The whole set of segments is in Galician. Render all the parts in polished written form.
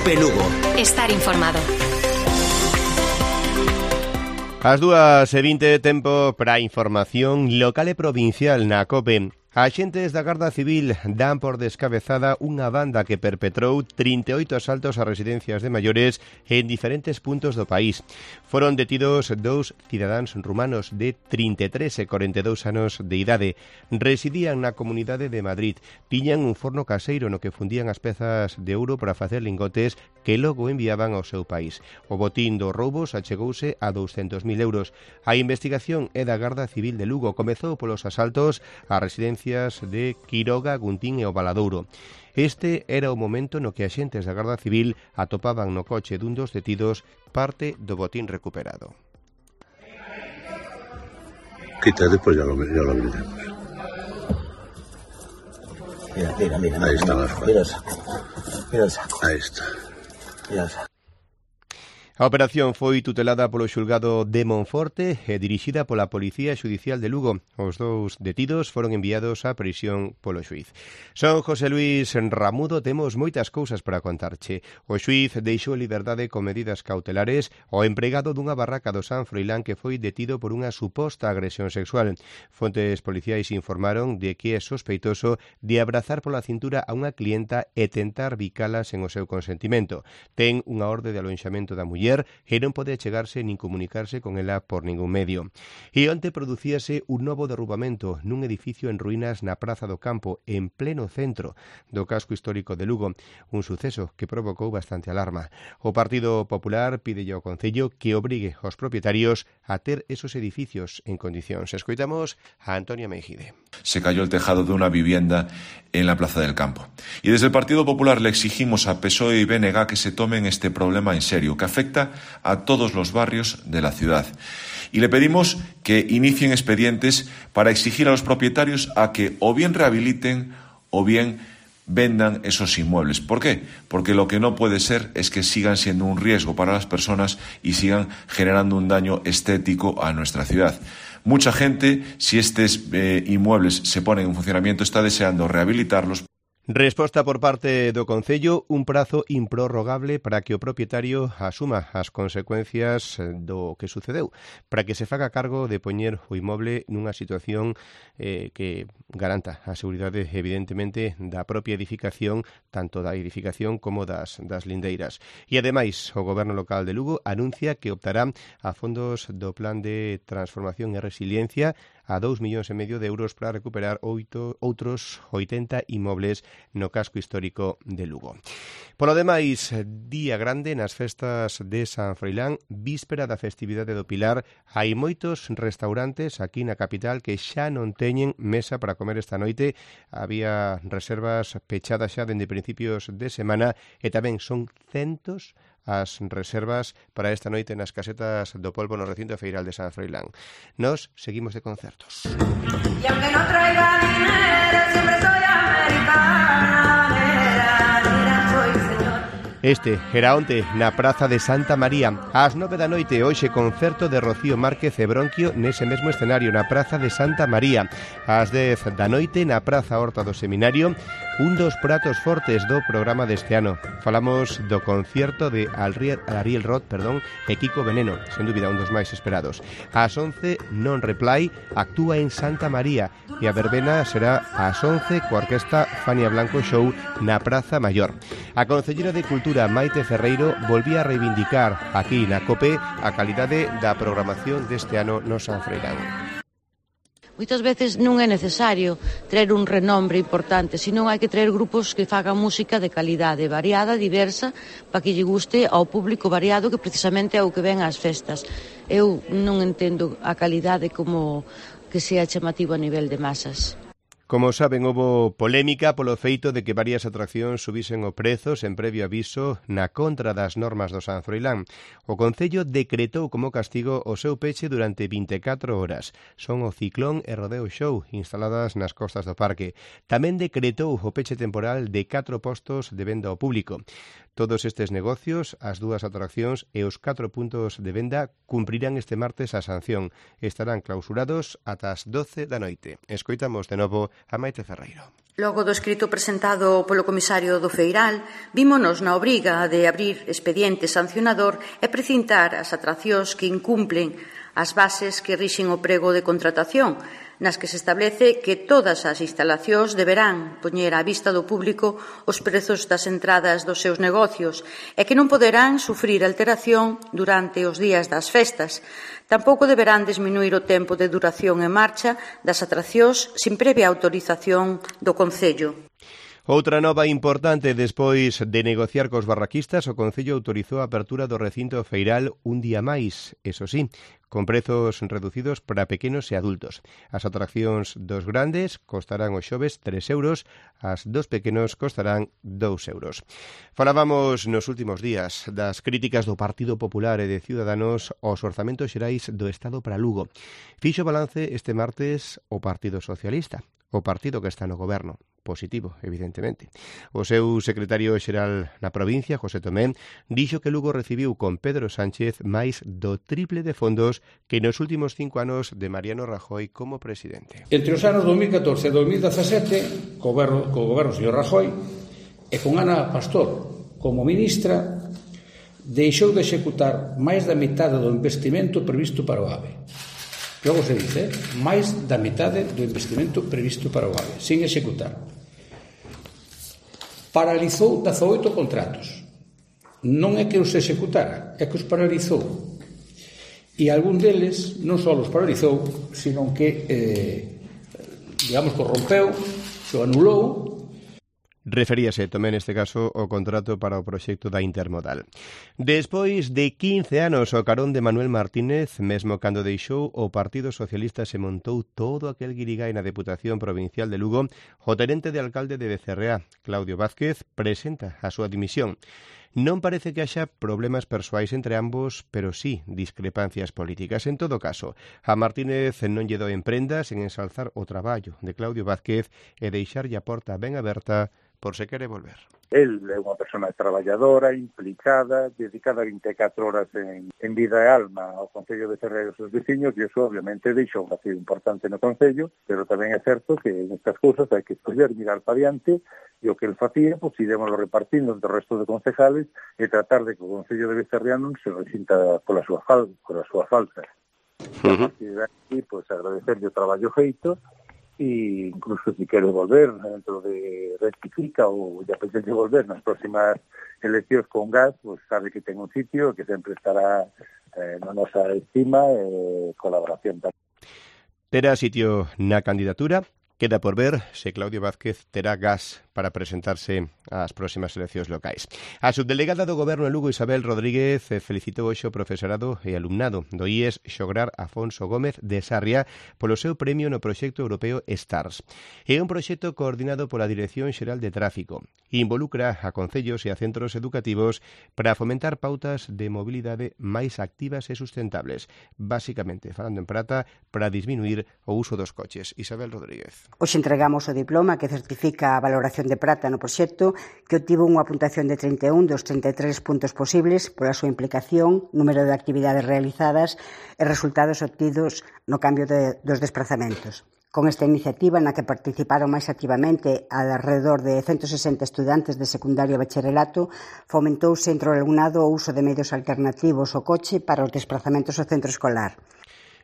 COPE Lugo. Estar informado. As 2:20, tempo para a información local e provincial na COPE. Axentes da Garda Civil dan por descabezada unha banda que perpetrou 38 asaltos a residencias de maiores en diferentes puntos do país. Foron detidos 2 cidadáns rumanos de 33 e 42 anos de idade. Residían na Comunidade de Madrid. Tiñan un forno caseiro no que fundían as pezas de ouro para facer lingotes que logo enviaban ao seu país. O botín dos roubos achegouse a 200.000 euros. A investigación é da Garda Civil de Lugo. Comezou polos asaltos a residencias de Quiroga, Guntín e o Valadouro. Este era o momento no que axentes da Garda Civil atopaban no coche dun dos detidos parte do botín recuperado. Quita, después ya lo veremos. Mira. Ahí está la foto. Mira el saco. Ahí está. Mira el saco. A operación foi tutelada polo xulgado de Monforte e dirixida pola Policía Xudicial de Lugo. Os dous detidos foron enviados á prisión polo xuiz. Son José Luis Ramudo, temos moitas cousas para contarche. O xuiz deixou en liberdade con medidas cautelares o empregado dunha barraca do San Froilán que foi detido por unha suposta agresión sexual. Fontes policiais informaron de que é sospeitoso de abrazar pola cintura a unha clienta e tentar bicalas en o seu consentimento. Ten unha orde de alonxamento da muller e non pode achegarse nin comunicarse con ela por ningún medio. E onte producíase un novo derrubamento nun edificio en ruínas na Praza do Campo, en pleno centro do casco histórico de Lugo, un suceso que provocou bastante alarma. O Partido Popular pídelle ao Concello que obrigue aos propietarios a ter esos edificios en condicións. Escoitamos a Antonia Meijide. Se cayó el tejado de una vivienda en la Plaza del Campo. Y desde el Partido Popular le exigimos a PSOE y BNG que se tomen este problema en serio, que afecta a todos los barrios de la ciudad. Y le pedimos que inicien expedientes para exigir a los propietarios a que o bien rehabiliten o bien vendan esos inmuebles. ¿Por qué? Porque lo que no puede ser es que sigan siendo un riesgo para las personas y sigan generando un daño estético a nuestra ciudad. Mucha gente, si estos inmuebles se ponen en funcionamiento, está deseando rehabilitarlos. Resposta por parte do Concello, un prazo improrrogable para que o propietario asuma as consecuencias do que sucedeu, para que se faga cargo de poñer o inmoble nunha situación que garanta a seguridade, evidentemente, da propia edificación, tanto da edificación como das lindeiras. E, ademais, o Goberno local de Lugo anuncia que optará a fondos do Plan de Transformación e Resiliencia a 2,5 millóns de euros para recuperar outros 80 inmobles no casco histórico de Lugo. Polo demais, día grande nas festas de San Froilán, víspera da festividade do Pilar. Hai moitos restaurantes aquí na capital que xa non teñen mesa para comer esta noite. Había reservas pechadas xa dende principios de semana e tamén son centos as reservas para esta noite nas casetas do Polvo no recinto feiral de San Froilán. Nos seguimos de concertos. Y aunque no traiga dinero, siempre soy americana, soy señor. Este era onte na Praza de Santa María. Ás 9 da noite, hoxe concerto de Rocío Márquez e Bronquio nese mesmo escenario na Praza de Santa María. Ás 10 da noite na Praza Horta do Seminario, un dos pratos fortes do programa deste ano. Falamos do concierto de Ariel Roth, e Kiko Veneno, sen dúbida un dos máis esperados. Ás 11, Non Reply actúa en Santa María e a verbena será ás 11 coa orquesta Fania Blanco Show na Praza Maior. A concellera de Cultura Maite Ferreiro volvía a reivindicar aquí na COPE a calidade da programación deste ano no San Froilán. Moitas veces non é necesario traer un renombre importante, senón hai que traer grupos que fagan música de calidade, variada, diversa, para que lle guste ao público variado que precisamente é o que ven ás festas. Eu non entendo a calidade como que sea chamativo a nivel de masas. Como saben, houbo polémica polo feito de que varias atraccións subisen o prezo sen previo aviso na contra das normas do San Froilán. O Concello decretou como castigo o seu peche durante 24 horas. Son o Ciclón e Rodeo Show, instaladas nas costas do parque. Tamén decretou o peche temporal de 4 postos de venda ao público. Todos estes negocios, as dúas atraccións e os 4 puntos de venda cumprirán este martes a sanción. Estarán clausurados ata as 12 da noite. Escoitamos de novo a Maite Ferreiro. Logo do escrito presentado polo comisario do Feiral, vímonos na obriga de abrir expediente sancionador e precintar as atraccións que incumplen as bases que rixen o prego de contratación, nas que se establece que todas as instalacións deberán poñer á vista do público os prezos das entradas dos seus negocios e que non poderán sufrir alteración durante os días das festas. Tampouco deberán disminuir o tempo de duración en marcha das atraccións sin previa autorización do Concello. Outra nova importante, despois de negociar cos barraquistas, o Concello autorizou a apertura do recinto feiral un día máis, eso sí, con prezos reducidos para pequenos e adultos. As atraccións dos grandes costarán os xoves 3 euros, as dos pequenos costarán 2 euros. Falábamos nos últimos días das críticas do Partido Popular e de Ciudadanos aos orzamentos xerais do Estado para Lugo. Fixo balance este martes o Partido Socialista, o partido que está no goberno. Positivo, evidentemente. O seu secretario xeral na provincia, José Tomé, dixo que Lugo recibiu con Pedro Sánchez máis do triple de fondos que nos últimos 5 anos de Mariano Rajoy como presidente. Entre os anos 2014 e 2017, co goberno do señor Rajoy e con Ana Pastor como ministra, deixou de executar máis da metade do investimento previsto para o AVE. Logo se dice, máis da metade do investimento previsto para o AVE, sin executar. Paralizou 18 contratos. Non é que os executara, é que os paralizou. E algún deles non só os paralizou, sino que, corrompeu, o anulou. Referíase tamén neste caso ao contrato para o proxecto da Intermodal. Despois de 15 anos ao carón de Manuel Martínez, mesmo cando deixou o Partido Socialista se montou todo aquel guirigái na Deputación Provincial de Lugo, o tenente de alcalde de Becerreá, Claudio Vázquez, presenta a súa dimisión. Non parece que haxa problemas persoais entre ambos, pero sí discrepancias políticas. En todo caso, a Martínez non lle dou en prendas en ensalzar o traballo de Claudio Vázquez e deixarlle a porta ben aberta por se quere volver. El é unha persona traballadora, implicada, dedicada 24 horas en vida e alma ao Concello de Ferreira e aos seus veciños, e iso obviamente deixou un vacío importante no Concello, pero tamén é certo que en estas cousas hai que escoller, mirar para diante, e o que el facía, pois iremos repartindo entre o resto de concejales e tratar de que o Concello de Becerreá non se resinta pola súa falta. A partir de aquí, pois agradecerlle o traballo feito, e incluso si quere volver dentro de rectifica ou ya apetece volver nas próximas eleccións con gas, pues sabe que ten un sitio que sempre estará na nosa estima e colaboración. Terá sitio na candidatura. Queda por ver se Claudio Vázquez terá gas para presentarse ás próximas eleccións locais. A subdelegada do Goberno en Lugo, Isabel Rodríguez, felicitou hoxe o profesorado e alumnado do IES Xograr Afonso Gómez de Sarria polo seu premio no proxecto europeo STARS. É un proxecto coordinado pola Dirección Xeral de Tráfico e involucra a concellos e a centros educativos para fomentar pautas de mobilidade máis activas e sustentables, basicamente, falando en prata, para disminuir o uso dos coches. Isabel Rodríguez. Hoxe entregamos o diploma que certifica a valoración de prata no proxecto, que obtivo unha puntuación de 31 dos 33 puntos posibles pola súa implicación, número de actividades realizadas e resultados obtidos no cambio dos desplazamentos. Con esta iniciativa, na que participaron máis activamente alrededor de 160 estudantes de secundario e bacharelato, fomentouse entre o alumnado o uso de medios alternativos ao coche para os desplazamentos ao centro escolar.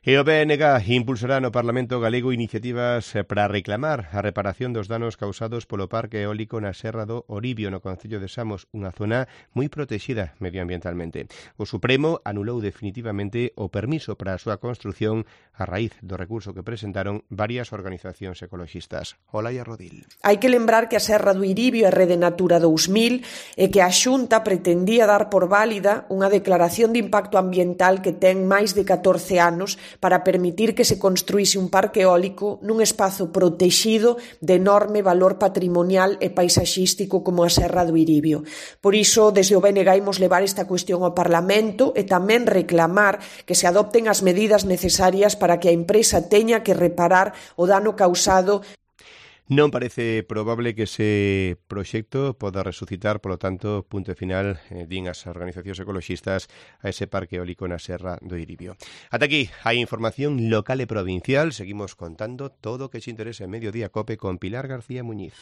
E o BNG impulsará no Parlamento galego iniciativas para reclamar a reparación dos danos causados polo parque eólico na Serra do Oribio, no concello de Samos, unha zona moi protexida medioambientalmente. O Supremo anulou definitivamente o permiso para a súa construción a raíz do recurso que presentaron varias organizacións ecologistas. Olaia Rodil. Hai que lembrar que a Serra do Iribio é Rede Natura 2000 e que a Xunta pretendía dar por válida unha declaración de impacto ambiental que ten máis de 14 anos para permitir que se construíse un parque eólico nun espazo protexido de enorme valor patrimonial e paisaxístico como a Serra do Iribio. Por iso, desde o BNG imos levar esta cuestión ao Parlamento e tamén reclamar que se adopten as medidas necesarias para que a empresa teña que reparar o dano causado. Non parece probable que ese proxecto poda resucitar, polo tanto, punto final, din as organizacións ecoloxistas, a ese parque eólico na Serra do Iribio. Ata aquí a información local e provincial. Seguimos contando todo o que se interesa en Mediodía Cope con Pilar García Muñiz.